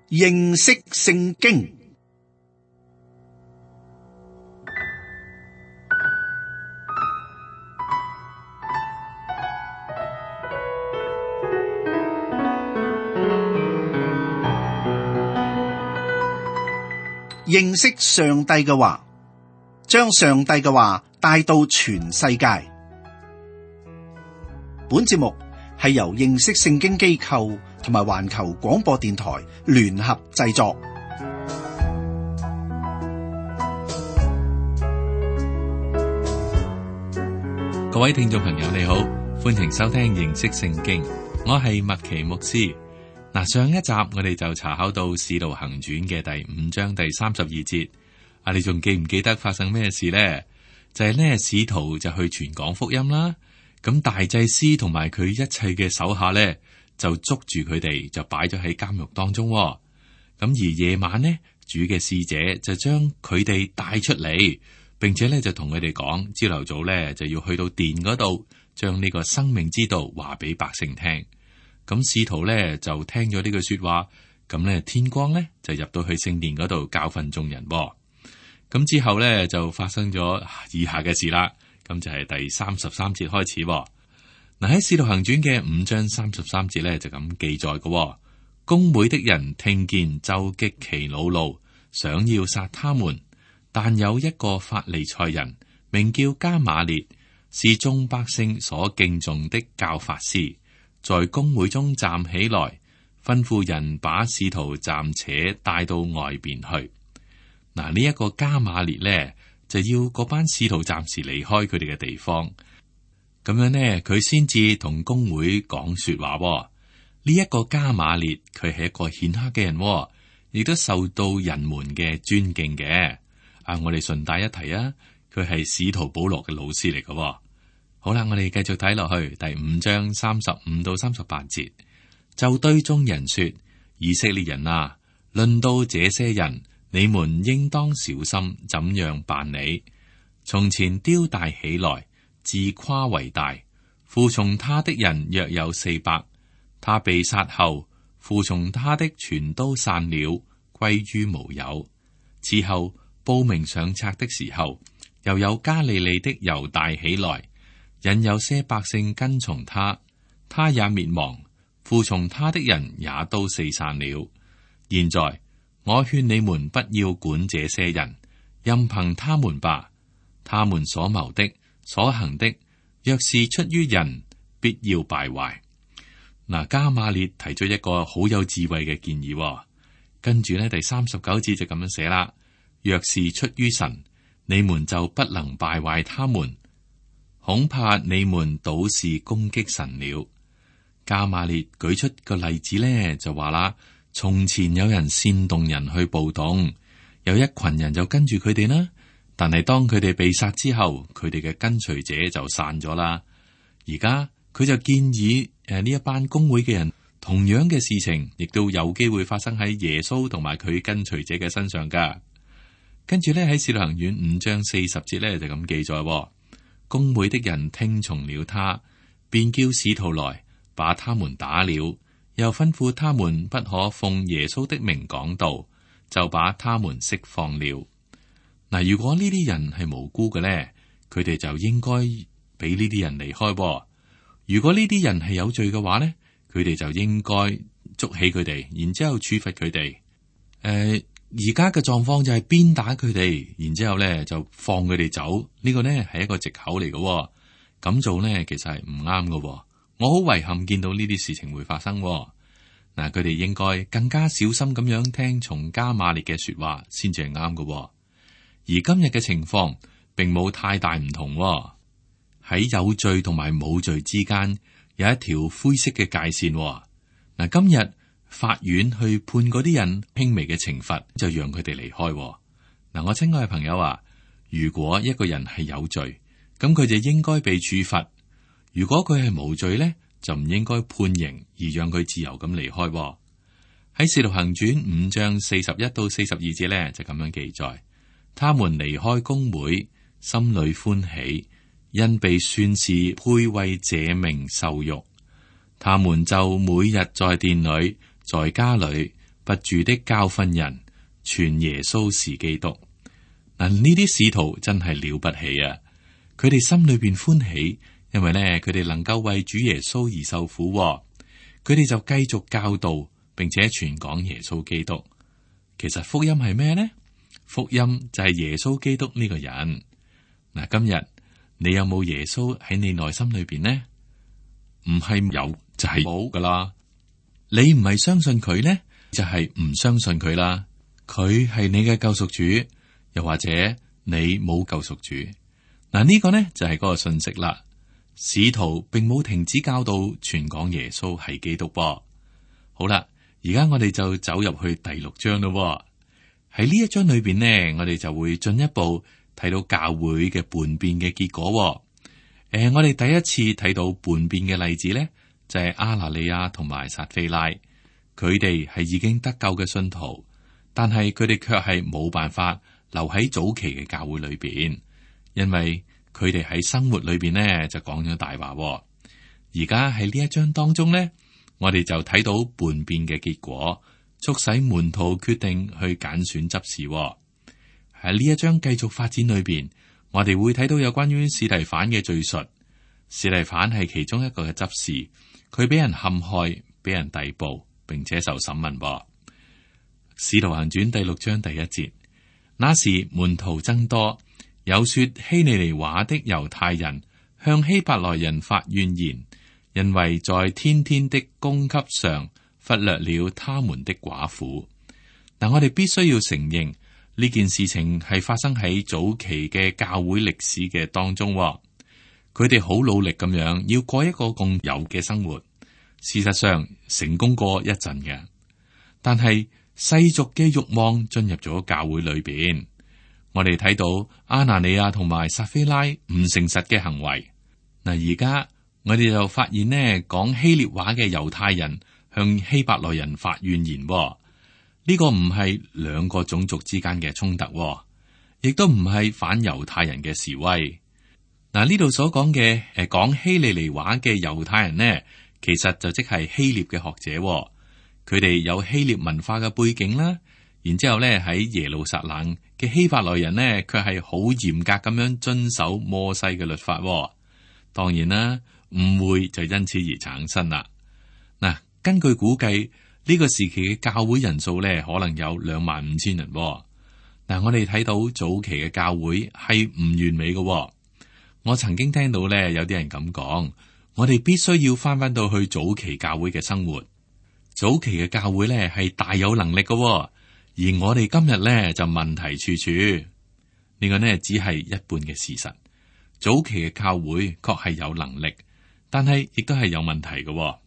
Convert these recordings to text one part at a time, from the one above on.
認識聖經。認識上帝嘅話，將上帝嘅話帶到全世界。本節目係由認識聖經機構同埋環球廣播電台聯合製作。各位聽眾朋友你好，歡迎收聽認識聖經，我係麥奇牧師。上一集我哋就查考到《使徒行傳》嘅第5章第32節。你仲記唔記得發生咩事呢？就係呢，使徒就去傳講福音啦。咁大祭司同埋佢一切嘅手下呢，就捉住佢哋，就擺咗喺監獄當中。咁而夜晚呢，主嘅使者就將佢哋帶出嚟，並且呢就同佢哋講，朝頭早呢就要去到殿嗰度，將呢個生命之道話俾百姓聽。咁使徒咧就聽咗呢句說話，咁咧天光咧就入到去聖殿嗰度教訓眾人。咁之後咧就發生咗以下嘅事啦。咁就係第33節開始。嗱，喺使徒行傳嘅5章33節咧就咁記載嘅。公會的人聽見就極其惱怒，想要殺他們，但有一個法利賽人名叫迦瑪列，是眾百姓所敬重的教法師，在公會中站起來，吩咐人把使徒暫且帶到外邊去。嗱，呢一個迦瑪列呢，就要嗰班使徒暫時離開佢哋嘅地方，咁樣呢，佢先至同公會講說話。呢一個迦瑪列，佢係一個顯赫嘅人，亦都受到人們嘅尊敬嘅。我哋順帶一提啊，佢係使徒保羅嘅老師嚟嘅。好啦，我哋繼續睇落去第5章35到38節，就對眾人說：以色列人啊，論到這些人，你們應當小心怎樣辦理。從前丟大起來，自誇為大，附從他的人約有400。他被殺後，附從他的全都散了，歸於無有。此後報名上冊的時候，又有加利利的猶大起來，引有些百姓跟從他，他也滅亡，附從他的人也都四散了。現在我勸你們不要管這些人，任憑他們吧。他們所謀的、所行的，若是出於人，必要敗壞。嗱，迦瑪列提出一個好有智慧嘅建議，跟住呢，第39節就咁樣寫啦：若是出於神，你們就不能敗壞他們。恐怕你們倒是攻擊神了。迦瑪列舉出個例子呢，就話啦：從前有人煽動人去暴動，有一群人就跟住佢哋啦。但係當佢哋被殺之後，佢哋嘅跟隨者就散咗啦。而家佢就建議呢一班公會嘅人，同樣嘅事情亦都有機會發生喺耶穌同埋佢跟隨者嘅身上噶。跟住咧喺使徒行傳5章40節咧就咁記載。公會的人聽從了他，便叫使徒來把他們打了，又吩咐他們不可奉耶穌的名講道，就把他們釋放了。嗱，如果呢啲人係無辜嘅咧，佢哋就應該俾呢啲人離開。如果呢啲人係有罪嘅話咧，佢哋就應該捉起佢哋，然之後處罰佢哋。而家嘅狀況就係鞭打佢哋，然之後咧就放佢哋走。呢個呢係一個藉口嚟嘅，咁做呢其實係唔啱嘅。我好遺憾見到呢啲事情會發生。嗱，佢哋應該更加小心咁樣聽從迦瑪列嘅說話，先至係啱嘅。而今日嘅情況並冇太大唔同。喺有罪同埋冇罪之間有一條灰色嘅界線。嗱，今日法院去判嗰啲人輕微嘅懲罰，就讓佢哋離開。嗱，我親愛嘅朋友啊，如果一個人係有罪，咁佢就應該被處罰；如果佢係無罪咧，就唔應該判刑而讓佢自由咁離開。喺使徒行傳5章41到42節咧就咁樣記載：他們離開公會，心裏歡喜，因被算是配為這名受辱。他們就每日在殿裏、在家裏不住的教訓人，傳耶穌是基督。嗱，呢啲使徒真係了不起啊！佢哋心裏邊歡喜，因為呢，佢哋能夠為主耶穌而受苦。佢哋就繼續教導，並且傳講耶穌基督。其實福音係咩呢？福音就係耶穌基督呢個人。嗱，今日你有冇耶穌喺你內心裏邊呢？唔係有就係冇噶啦。你唔係相信佢呢，就係唔相信佢啦。佢係你嘅救贖主，又或者你冇救贖主。嗱，呢個呢就係嗰個信息啦。使徒並冇停止教導傳講耶穌係基督噃。好啦，而家我哋就走入去第6章咯。喺呢一章裏邊呢，我哋就會進一步睇到教會嘅叛變嘅結果。我哋第一次睇到叛變嘅例子呢，就係亞拿尼亞同埋撒非拉，佢哋係已經得救嘅信徒，但係佢哋卻係冇辦法留喺早期嘅教會裏邊，因為佢哋喺生活裏邊呢就講咗大話。而家喺呢一章當中呢，我哋就睇到叛變嘅結果，促使門徒決定去揀選執事。喺呢一章繼續發展裏邊，我哋會睇到有關於司提反嘅敘述。司提反係其中一個嘅執事，佢俾人陷害，俾人逮捕，並且受審問。使徒行傳第6章第1節，那時門徒增多，有說希利尼話的猶太人向希伯來人發怨言，因為在天天的供給上忽略了他們的寡婦。但我哋必須要承認呢件事情係發生喺早期嘅教會歷史嘅當中。佢哋好努力咁樣要過一個共有嘅生活，事實上成功過一陣嘅。但係世俗嘅慾望進入咗教會裏邊，我哋睇到亞拿尼亞同埋撒非拉唔誠實嘅行為。嗱，而家我哋就發現呢，講希臘話嘅猶太人向希伯來人發怨言。呢個唔係兩個種族之間嘅衝突，亦都唔係反猶太人嘅示威。嗱，呢度所講嘅講希利尼話嘅猶太人呢，其實就即係希臘嘅學者，佢哋有希臘文化嘅背景啦。然之後咧，喺耶路撒冷嘅希伯來人呢，卻係好嚴格咁樣遵守摩西嘅律法。當然啦，誤會就因此而產生啦。嗱，根據估計，呢個時期嘅教會人數咧，可能有25,000人。嗱，我哋睇到早期嘅教會係唔完美嘅。我曾經聽到咧，有啲人咁講，我哋必須要翻到去早期教會嘅生活。早期嘅教會咧係大有能力嘅，而我哋今日咧就問題處處。呢個呢只係一半嘅事實。早期嘅教會確係有能力，但係亦都係有問題嘅。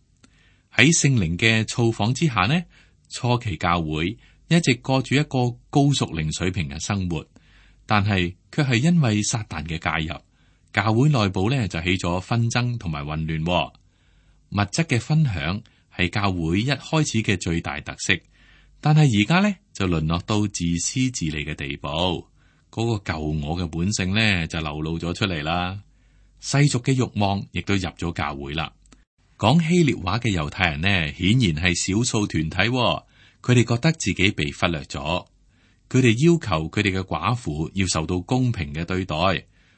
喺聖靈嘅造訪之下呢，初期教會一直過住一個高屬靈水平嘅生活，但係卻係因為撒旦嘅介入，教會內部咧就起咗紛爭同埋混亂。物質嘅分享係教會一開始嘅最大特色，但係而家咧就淪落到自私自利嘅地步，嗰個舊我嘅本性咧就流露咗出嚟啦。世俗嘅慾望亦都入咗教會啦。講希臘話嘅猶太人呢，顯然係少數團體，佢哋覺得自己被忽略咗，佢哋要求佢哋嘅寡婦要受到公平嘅對待。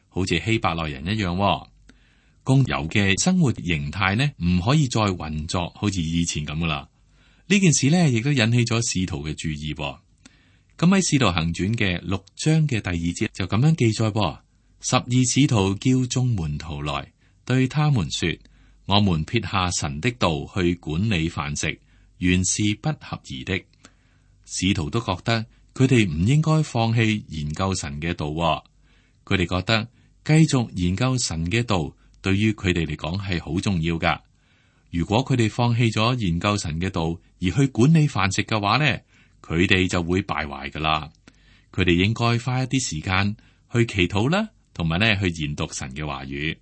好似希伯來人一樣，共有嘅生活形態呢，唔可以再運作好似以前咁噶啦。呢件事呢，亦都引起咗使徒嘅注意。咁喺使徒行傳嘅6章嘅第2節就咁樣記載：12使徒叫眾門徒來，對他們說：我們撇下神的道去管理飯食，原是不合宜的。使徒都覺得佢哋唔應該放棄研究神嘅道，佢哋覺得繼續研究神嘅道，對於佢哋嚟講係好重要噶。如果佢哋放棄咗研究神嘅道，而去管理飯食嘅話呢，佢哋就會敗壞噶啦。佢哋應該花一啲時間去祈禱啦，同埋呢去研讀神嘅話語。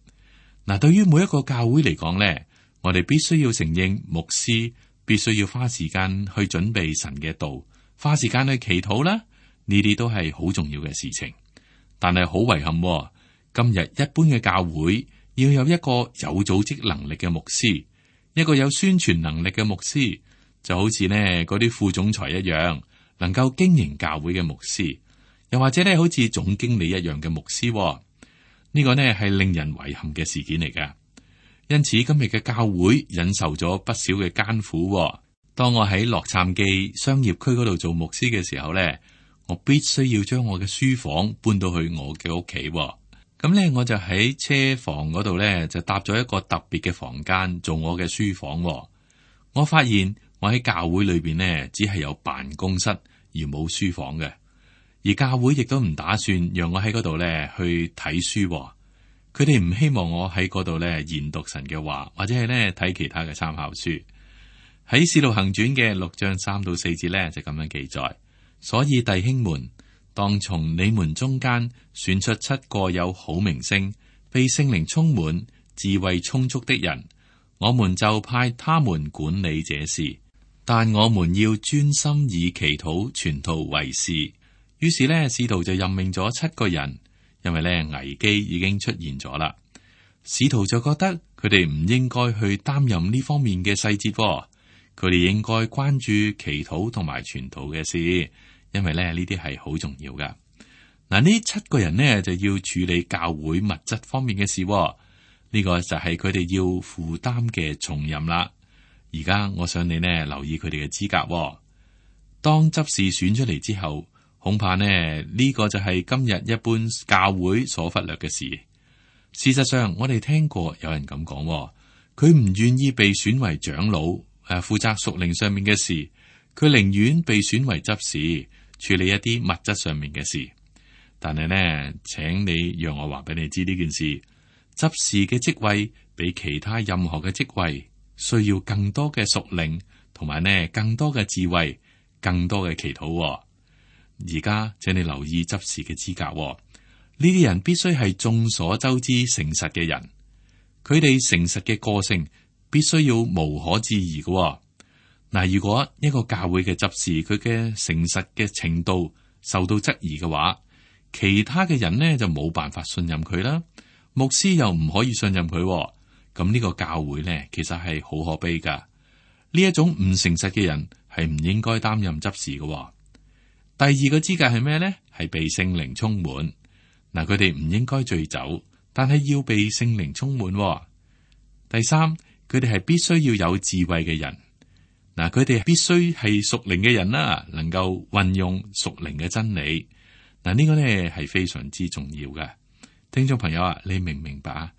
嗱，對於每一個教會嚟講呢，我哋必須要承認，牧師必須要花時間去準備神嘅道，花時間去祈禱啦，呢啲都係好重要嘅事情。但係好遺憾，今日一般嘅教會要有一個有組織能力嘅牧師，一個有宣傳能力嘅牧師，就好似呢嗰啲副總裁一樣，能夠經營教會嘅牧師，又或者呢好似總經理一樣嘅牧師。呢個呢係令人遺憾嘅事件嚟㗎。因此今日嘅教會忍受咗不少嘅艱苦。當我喺洛杉磯商業區嗰度做牧師嘅時候呢，我必須要將我嘅書房搬到去我嘅屋企。咁呢，我就喺車房嗰度呢，就搭咗一個特別嘅房間做我嘅書房。我發現我喺教會裏邊呢，只係有辦公室而冇書房嘅，而教會亦都唔打算讓我喺嗰度呢去睇書。佢哋唔希望我喺嗰度呢研讀神嘅話，或者係呢睇其他嘅參考書。喺《使徒行傳》嘅6章3到4節呢，就咁樣記載。所以弟兄們，當從你們中間選出7個有好名聲、被聖靈充滿、智慧充足的人，我們就派他們管理這事。但我們要專心以祈禱傳道為事。於是呢，使徒就任命咗7個人，因為呢危機已經出現咗啦。使徒就覺得佢哋唔應該去擔任呢方面嘅細節，佢哋應該關注祈禱同埋傳道嘅事。因為咧呢啲係好重要噶。嗱，呢7個人呢就要處理教會物質方面嘅事，呢個就係佢哋要負擔嘅重任啦。而家我想你呢留意佢哋嘅資格。當執事選出嚟之後，恐怕呢個就係今日一般教會所忽略嘅事。事實上，我哋聽過有人咁講，佢唔願意被選為長老，負責屬靈上面嘅事，佢寧願被選為執事，處理一啲物質上面嘅事。但係呢，請你讓我話俾你知呢件事，執事嘅職位比其他任何嘅職位需要更多嘅屬靈，同埋呢更多嘅智慧，更多嘅祈禱。而家請你留意執事嘅資格，呢啲人必須係眾所周知誠實嘅人，佢哋誠實嘅個性必須要無可置疑嘅。嗱，如果一個教會嘅執事佢嘅誠實嘅程度受到質疑嘅話，其他嘅人呢就冇辦法信任佢啦，牧師又唔可以信任佢，咁呢個教會呢其實係好可悲噶。呢一種唔誠實嘅人係唔應該擔任執事嘅。第二個資格係咩呢？係被聖靈充滿。嗱，佢哋唔應該醉酒，但係要被聖靈充滿。第三，佢哋係必須要有智慧嘅人。嗱，佢哋必須係屬靈嘅人啦，能夠運用屬靈嘅真理。嗱，呢個呢係非常之重要嘅。聽眾朋友啊，你明唔明白啊？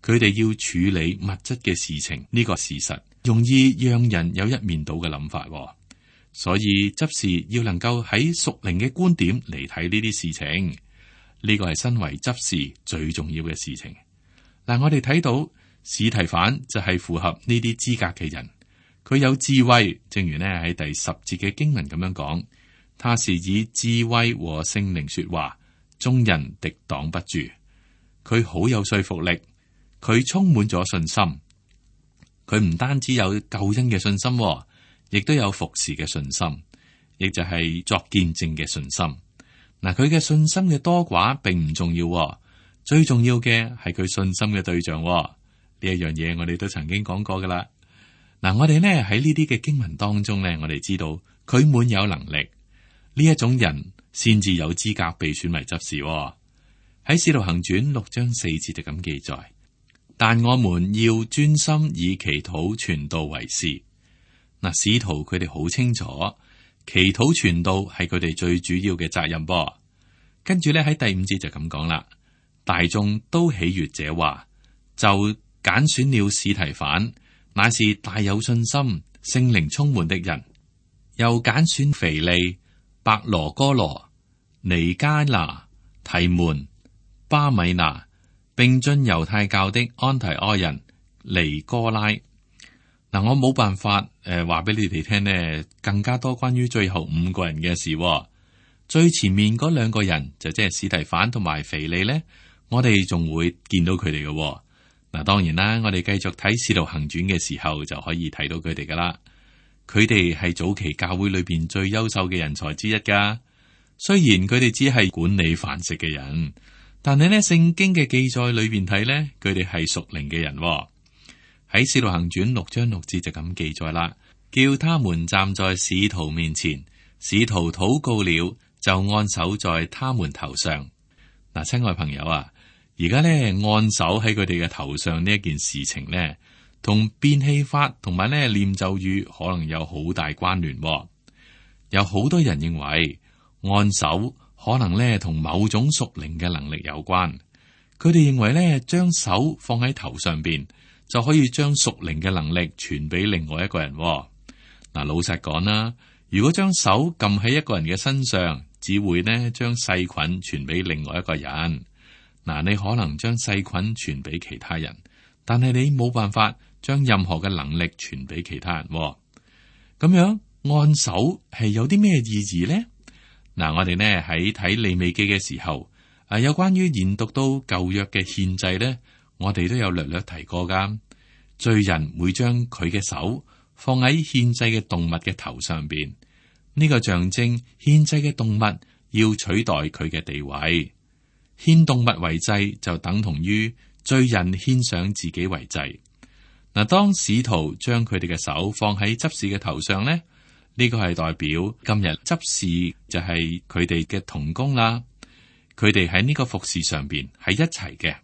佢哋要處理物質嘅事情，呢個事實容易讓人有一面倒嘅諗法。所以執事要能夠喺屬靈嘅觀點嚟睇呢啲事情，呢個係身為執事最重要嘅事情。嗱，我哋睇到司提反就係符合呢啲資格嘅人。佢有智慧，正如呢喺第10節嘅經文咁樣講，他是以智慧和聖靈說話，眾人敵擋不住。佢好有說服力，佢充滿咗信心。佢唔單止有救恩嘅信心，亦都有服侍嘅信心，亦就係作見證嘅信心。嗱，佢嘅信心嘅多寡並唔重要，最重要嘅係佢信心嘅對象。呢一樣嘢我哋都曾經講過噶啦。嗱，我哋呢喺呢啲嘅經文當中呢，我哋知道佢滿有能力，呢一種人先至有資格被選為執事。喺《使徒行傳》6章4節就咁記載，但我們要專心以祈禱傳道為事。嗱，使徒佢哋好清楚，祈禱傳道係佢哋最主要嘅責任噃。跟住呢喺第5節就咁講啦，大眾都喜悅這話，就揀選了司提反，乃是大有信心、聖靈充滿的人，又揀選腓利、伯羅哥羅、尼加拿、提門、巴米拿，並進猶太教的安提阿人尼哥拉。嗱，我冇辦法話俾你哋聽呢，更加多關於最後5個人嘅事。最前面嗰2個人就即係司提反同埋腓利呢，我哋仲會見到佢哋嘅。嗱，當然啦，我哋繼續睇《使徒行傳》嘅時候就可以睇到佢哋噶啦。佢哋係早期教會裏邊最優秀嘅人才之一噶。雖然佢哋只係管理飯食嘅人，但係呢聖經嘅記載裏邊睇呢，佢哋係屬靈嘅人。喺《使徒行傳》6章6節就咁記載啦。叫他們站在使徒面前，使徒禱告了，就按手在他們頭上。嗱，親愛朋友啊，而家咧按手喺佢哋嘅頭上呢一件事情咧，同變戲法同埋咧念咒語可能有好大關聯。有好多人認為按手可能咧同某種屬靈嘅能力有關。佢哋認為咧將手放喺頭上邊就可以將屬靈嘅能力傳俾另外一個人。嗱，老實講啦，如果將手撳喺一個人嘅身上，只會呢將細菌傳俾另外一個人。嗱，你可能將細菌傳俾其他人，但係你冇辦法將任何嘅能力傳俾其他人。咁樣按手係有啲咩意義呢？嗱，我哋呢喺睇利未記嘅時候，有關於研讀到舊約嘅獻祭呢，我哋都有略略提過噶。罪人會將佢嘅手放喺獻祭嘅動物嘅頭上邊，呢個象徵獻祭嘅動物要取代佢嘅地位。獻動物為祭就等同於罪人獻上自己為祭。嗱，當使徒將佢哋嘅手放喺執事嘅頭上呢，呢個係代表今日執事就係佢哋嘅同工啦。佢哋喺呢個服侍上邊係一齊嘅，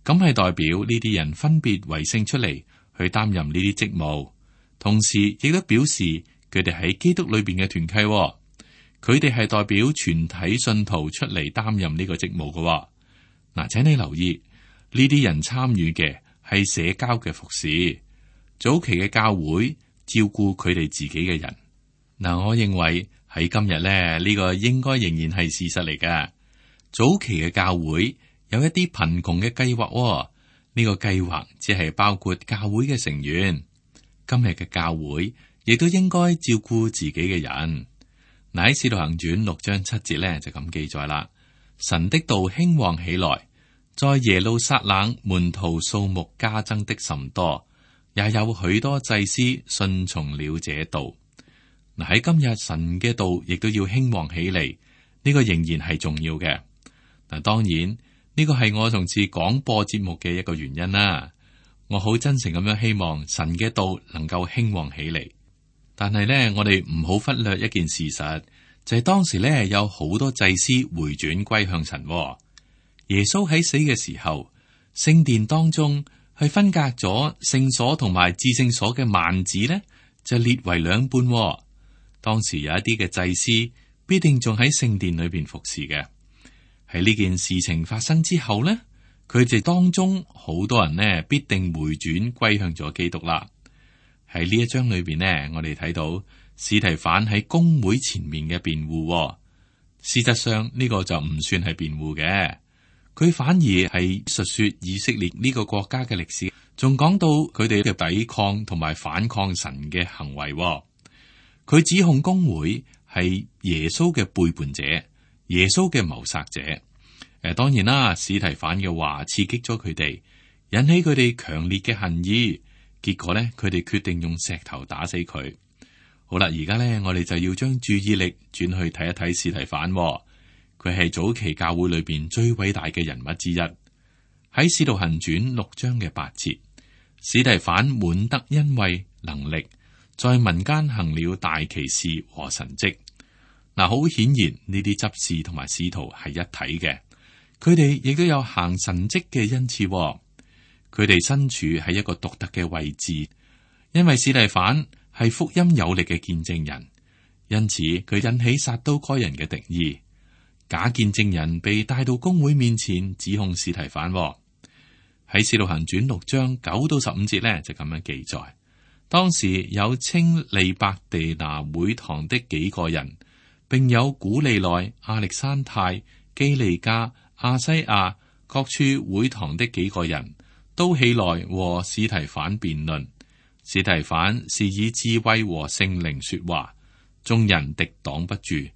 咁係代表呢啲人分別為聖出嚟去擔任呢啲職務，同時亦都表示佢哋喺基督裏邊嘅團契。佢哋係代表全體信徒出嚟擔任呢個職務嘅。嗱，請你留意呢啲人參與嘅係社交嘅服侍，早期嘅教會照顧佢哋自己嘅人。嗱，我認為喺今日咧，呢個應該仍然係事實嚟㗎。早期嘅教會有一啲貧窮嘅計劃，呢個計劃只係包括教會嘅成員。今日嘅教會亦都應該照顧自己嘅人。嗱，喺《使徒行傳》6章7節咧就咁記載啦。神的道興旺起來，在耶路撒冷門徒數目加增的甚多，也有許多祭司順從了這道。嗱，喺今日神嘅道亦都要興旺起嚟，呢個仍然係重要嘅。嗱，當然呢個係我從事廣播節目嘅一個原因啦。我好真誠咁樣希望神嘅道能夠興旺起嚟。但係咧，我哋唔好忽略一件事實，就係當時咧有好多祭司回轉歸向神。耶穌喺死嘅時候，聖殿當中係分隔咗聖所同埋至聖所嘅幔子咧，就裂為兩半。當時有一啲嘅祭司必定仲喺聖殿裏邊服侍嘅。喺呢件事情發生之後咧，佢哋當中好多人呢必定回轉歸向咗基督啦。喺呢一章裏邊呢，我哋睇到司提反喺公會前面嘅辯護。事實上呢個就唔算係辯護嘅，佢反而係述說以色列呢個國家嘅歷史，仲講到佢哋嘅抵抗同埋反抗神嘅行為。佢指控公會係耶穌嘅背叛者，耶穌嘅謀殺者。當然啦，司提反嘅話刺激咗佢哋，引起佢哋強烈嘅恨意。結果咧，佢哋決定用石頭打死佢。好啦，而家咧，我哋就要將注意力轉去睇一睇司提反。佢係早期教會裏邊最偉大嘅人物之一。喺《使徒行傳》6章嘅8節，司提反滿得恩惠能力，在民間行了大奇事和神蹟。嗱，好顯然呢啲執事同埋使徒係一體嘅，佢哋亦都有行神蹟嘅恩賜。佢哋身處喺一個獨特嘅位置，因為司提反係福音有力嘅見證人，因此佢引起撒都該人嘅敵意。假見證人被帶到公會面前指控司提反。喺《使徒行傳》6章9到15節咧就咁樣記載，當時有稱利伯地拿會堂的幾個人，並有古利奈、亞歷山太、基利加、亞西亞各處會堂的幾個人，都起來和司提反辯論。司提反是以智慧和聖靈說話，眾人敵擋不住，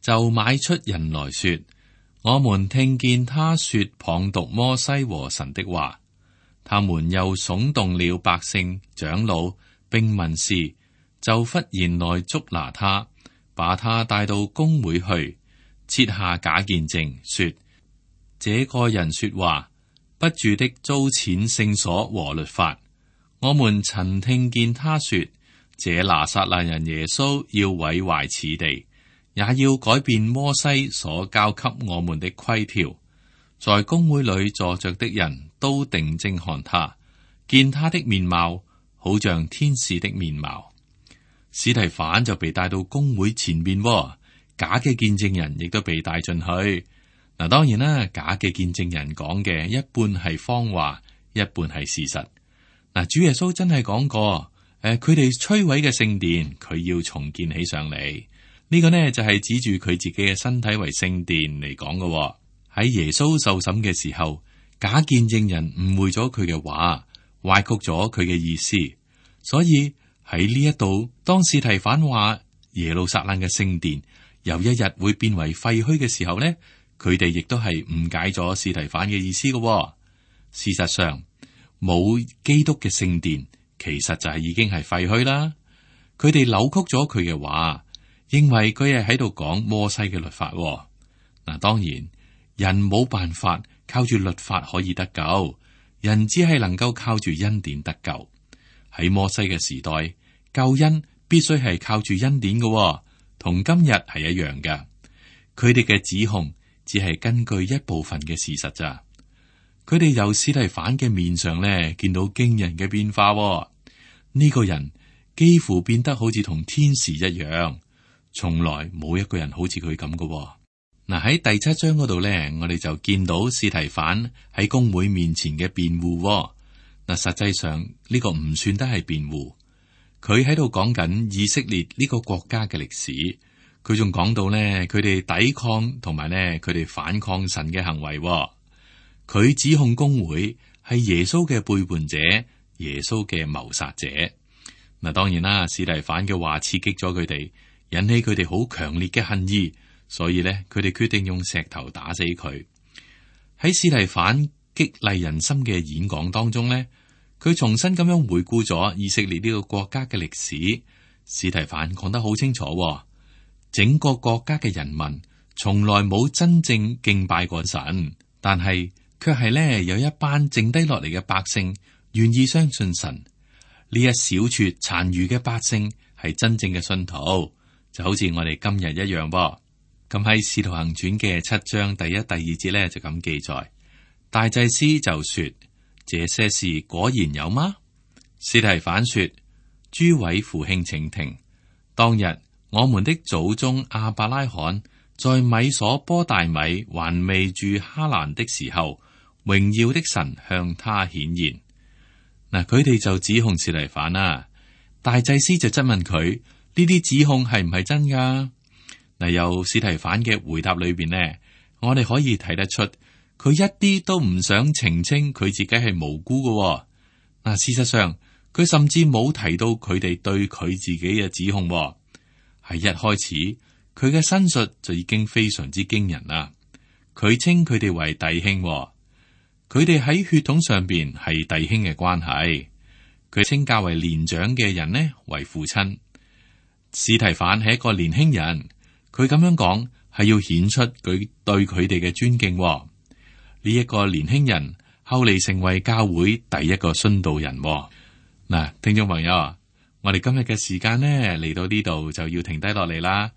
就買出人來說：我們聽見他說謗讟摩西和神的話。他們又聳動了百姓、長老並文士，就忽然來捉拿他，把他帶到公會去，設下假見證，說：這個人說話不住的糟踐聖所和律法。我們曾聽見他說，這拿撒勒人耶穌要毀壞此地，也要改變摩西所交給我們的規條。在公會裏坐着的人都定睛看他，見他的面貌好像天使的面貌。司提反就被帶到公會前面，假嘅見證人亦都被帶進去。嗱，當然啦，假嘅見證人講嘅一半係謊話，一半係事實。嗱，主耶穌真係講過，佢哋摧毀嘅聖殿，佢要重建起上嚟。呢個呢就係指住佢自己嘅身體為聖殿嚟講嘅。喺耶穌受審嘅時候，假見證人誤會咗佢嘅話，歪曲咗佢嘅意思。所以喺呢一度，當司提反話耶路撒冷嘅聖殿有一日會變為廢墟嘅時候呢，佢哋亦都係誤解咗司提反嘅意思嘅。事實上，冇基督嘅聖殿，其實就係已經係廢墟啦。佢哋扭曲咗佢嘅話，認為佢係喺度講摩西嘅律法。嗱，當然人冇辦法靠住律法可以得救，人只係能夠靠住恩典得救。喺摩西嘅時代，救恩必須係靠住恩典嘅，同今日係一樣嘅。佢哋嘅指控只係根據一部分嘅事實咋。佢哋由司提反嘅面上咧見到驚人嘅變化。呢個人幾乎變得好似同天使一樣，從來冇一個人好似佢咁嘅。嗱，喺第7章嗰度咧，我哋就見到司提反喺公會面前嘅辯護。嗱，實際上呢個唔算得係辯護，佢喺度講緊以色列呢個國家嘅歷史。佢仲講到咧，佢哋抵抗同埋咧佢哋反抗神嘅行為。佢指控公會係耶穌嘅背叛者，耶穌嘅謀殺者。嗱，當然啦，司提反嘅話刺激咗佢哋，引起佢哋好強烈嘅恨意。所以咧，佢哋決定用石頭打死佢。喺司提反激勵人心嘅演講當中咧，佢重新咁樣回顧咗以色列呢個國家嘅歷史。司提反講得好清楚，整個國家嘅人民從來冇真正敬拜過神，但係卻係咧有一班剩低落嚟嘅百姓願意相信神。呢一小撮殘餘嘅百姓係真正嘅信徒，就好似我哋今日一樣噃。咁喺《使徒行傳》嘅7章第1、第2節咧就咁記載，大祭司就說：這些事果然有嗎？司提反說：諸位父兄請聽，當日我們的祖宗亞伯拉罕在米所波大米還未住哈蘭的時候，榮耀的神向他顯現。嗱，佢哋就指控司提反啦，大祭司就質問佢：呢啲指控係唔係真噶？嗱，由司提反嘅回答裏邊呢，我哋可以睇得出，佢一啲都唔想澄清佢自己係無辜嘅。嗱，事實上，佢甚至冇提到佢哋對佢自己嘅指控。喺一開始，佢嘅申述就已經非常之驚人啦。佢稱佢哋為弟兄，佢哋喺血統上邊係弟兄嘅關係。佢稱較為年長嘅人呢為父親。司提反係一個年輕人。佢咁樣講係要顯出佢對佢哋嘅尊敬。呢一個年輕人後嚟成為教會第一個殉道人。嗱，聽眾朋友，我哋今日嘅時間呢嚟到呢度就要停低落嚟啦。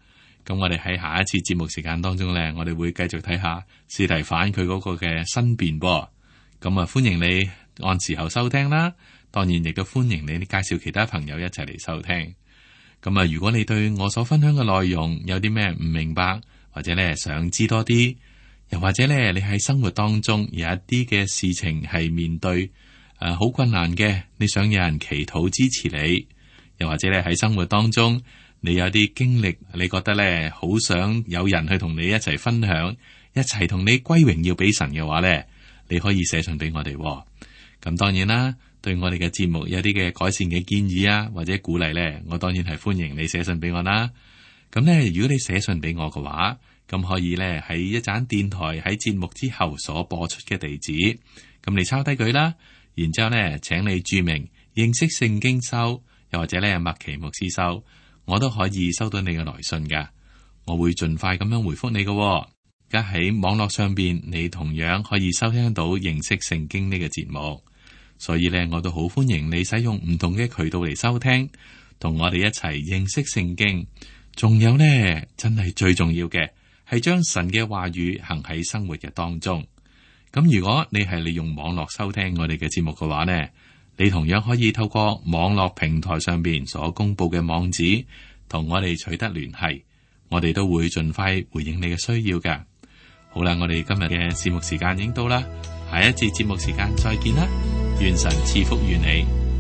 咁我哋喺下一次節目時間當中呢，我哋會繼續睇下司提反佢嗰個嘅申辯。咁啊，歡迎你按時候收聽啦。當然亦都歡迎你介紹其他朋友一齊嚟收聽。咁啊，如果你對我所分享嘅內容有啲咩唔明白，或者咧想知多啲，又或者咧你喺生活當中有一啲嘅事情係面對好困難嘅，你想有人祈禱支持你，又或者咧喺生活當中你有啲經歷，你覺得咧好想有人去同你一齊分享，一齊同你歸榮耀俾神嘅話咧，你可以寫信俾我哋。咁當然啦。對我哋嘅節目有啲嘅改善嘅建議啊，或者鼓勵呢，我當然係歡迎你寫信俾我啦。咁呢，如果你寫信俾我嘅話，咁可以呢喺一盞電台喺節目之後所播出嘅地址，咁你抄低佢啦。然之後呢，請你註明認識聖經收，又或者呢麥奇牧師收，我都可以收到你嘅來信噶。我會盡快咁樣回覆你嘅。而家喺網絡上邊，你同樣可以收聽到認識聖經呢個節目。所以咧，我都好歡迎你使用唔同嘅渠道嚟收聽，同我哋一齊認識聖經。仲有呢，真係最重要嘅係將神嘅話語行喺生活嘅當中。咁如果你係利用網絡收聽我哋嘅節目嘅話呢，你同樣可以透過網絡平台上邊所公布嘅網址同我哋取得聯繫，我哋都會盡快回應你嘅需要㗎。好啦，我哋今日嘅節目時間已經到啦，下一節節目時間再見啦，願神賜福於你。